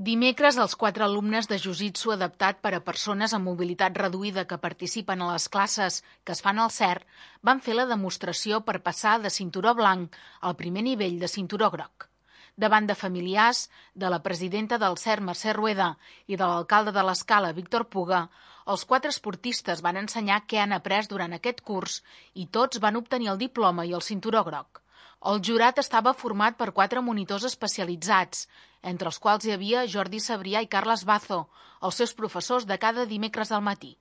Dimecres, els 4 alumnes de Jiu-Jitsu adaptat per a persones amb mobilitat reduïda que participen a les classes que es fan al CERT van fer la demostració per passar de cinturó blanc al primer nivell de cinturó groc. Davant de familiars, de la presidenta del CERT, Mercè Rueda, i de l'alcalde de l'Escala, Víctor Puga, els 4 esportistes van ensenyar què han après durant aquest curs i tots van obtenir el diploma i el cinturó groc. El jurat estava format per 4 monitors especialitzats, entre els quals hi havia Jordi Sabrià i Carles Bazo, els seus professors de cada dimecres al matí.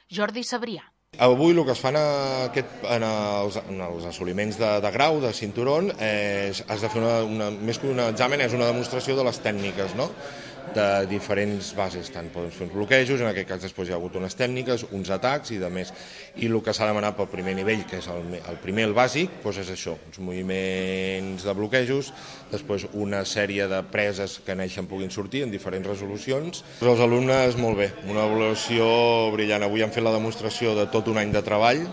Jordi Sabrià. Avui el que es fan en els assoliments de grau, de cinturón, has de fer més que un examen, és una demostració de les tècniques, no? De diferents bases, tant poden fer uns bloquejos, en aquest cas després hi ha hagut unes tècniques, uns atacs i de més. I el que s'ha demanat pel primer nivell, que és el primer, el bàsic, doncs és això, uns moviments de bloquejos, després una sèrie de preses que neixen puguin sortir en diferents resolucions. Els alumnes, molt bé, una avaluació brillant. Avui han fet la demostració de tot un any de treball,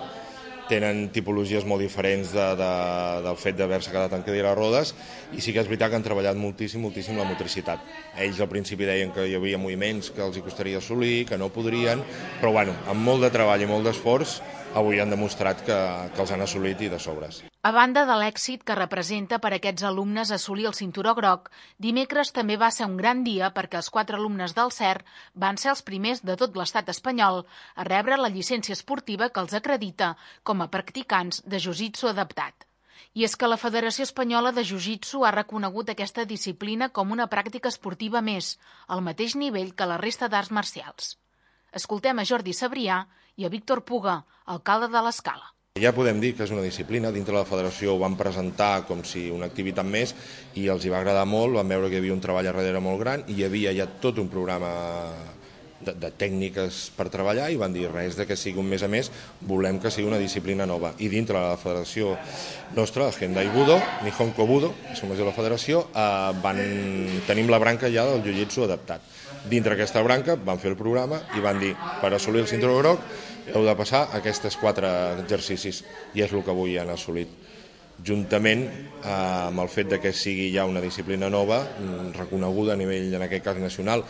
tenen tipologies molt diferents del fet d'haver-se quedat en cadira de rodes i sí que és veritat que han treballat moltíssim la motricitat. Ells al principi deien que hi havia moviments que els hi costaria assolir, que no podrien, però bueno, amb molt de treball i molt d'esforç avui han demostrat que els han assolit i de sobres. A banda de l'èxit que representa per a aquests alumnes assolir el cinturó groc, dimecres també va ser un gran dia perquè els 4 alumnes del CERT van ser els primers de tot l'estat espanyol a rebre la llicència esportiva que els acredita com a practicants de jiu-jitsu adaptat. I és que la Federació Espanyola de Jiu-Jitsu ha reconegut aquesta disciplina com una pràctica esportiva més, al mateix nivell que la resta d'arts marcials. Escoltem a Jordi Sabrià i a Víctor Puga, alcalde de l'Escala. Ja podem dir que és una disciplina, dintre de la federació ho van presentar com si una activitat més i els hi va agradar molt, van veure que hi havia un treball a darrere molt gran i hi havia ja tot un programa de tècniques per treballar i van dir res de que sigui un mes a més, volem que sigui una disciplina nova. I dintre de la federació nostra, el Hendai Budo, Nihonko Budo, que som de la federació, tenim la branca ja del jiu-jitsu adaptat. Dintre d'aquesta branca van fer el programa i van dir per assolir el cinturó groc heu de passar aquests 4 exercicis i és el que avui han assolit. Juntament amb el fet de que sigui ja una disciplina nova, reconeguda a nivell, en aquest cas nacional,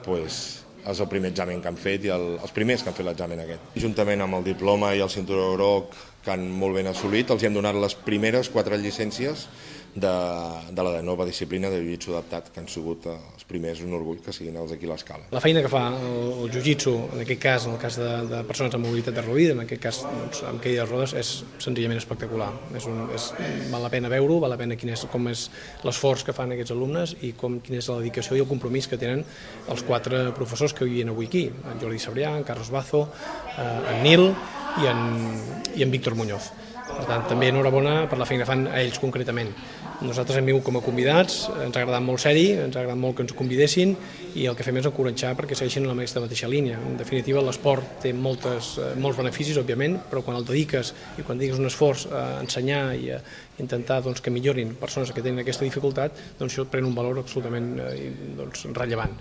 doncs és el primer examen que han fet i els primers que han fet l'examen aquest. Juntament amb el diploma i el cinturó groc que han molt ben assolit, els hem donat les primeres 4 llicències de la nova disciplina de jiu-jitsu adaptat, que han sigut els primers, un orgull que siguin els d'aquí a l'Escala. La feina que fa el jiu-jitsu, en aquest cas, en el cas de persones amb mobilitat reduïda, en aquest cas amb cadira de rodes, és senzillament espectacular. Val la pena veure-ho, val la pena com és l'esforç que fan aquests alumnes i quina és la dedicació i el compromís que tenen els 4 professors que vivien avui aquí, en Jordi Sabrià, en Carlos Bazo, en Nil i en Víctor Muñoz. Per tant, també enhorabona per la feina que fan a ells concretament. Nosaltres hem vingut com a convidats, ens ha agradat molt ser-hi, ens ha agradat molt que ens convidessin i el que fem és encoratjar perquè segueixin en la mateixa línia. En definitiva, l'esport té molts beneficis, òbviament, però quan el dediques i quan dediques un esforç a ensenyar i a intentar que millorin persones que tenen aquesta dificultat, doncs això pren un valor absolutament rellevant.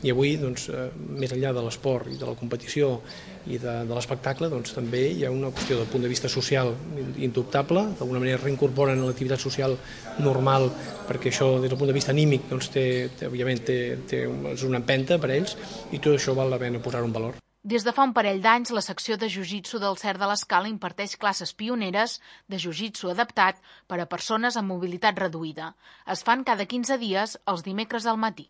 I avui, més enllà de l'esport i de la competició i de l'espectacle, també hi ha una qüestió del punt de vista social indubtable, d'alguna manera reincorporen a l'activitat social normal, perquè això des del punt de vista anímic òbviament és una empenta per a ells i tot això val la pena posar-ho en valor. Des de fa un parell d'anys, la secció de Jiu-Jitsu del CERT de l'Escala imparteix classes pioneres de Jiu-Jitsu adaptat per a persones amb mobilitat reduïda. Es fan cada 15 dies els dimecres al matí.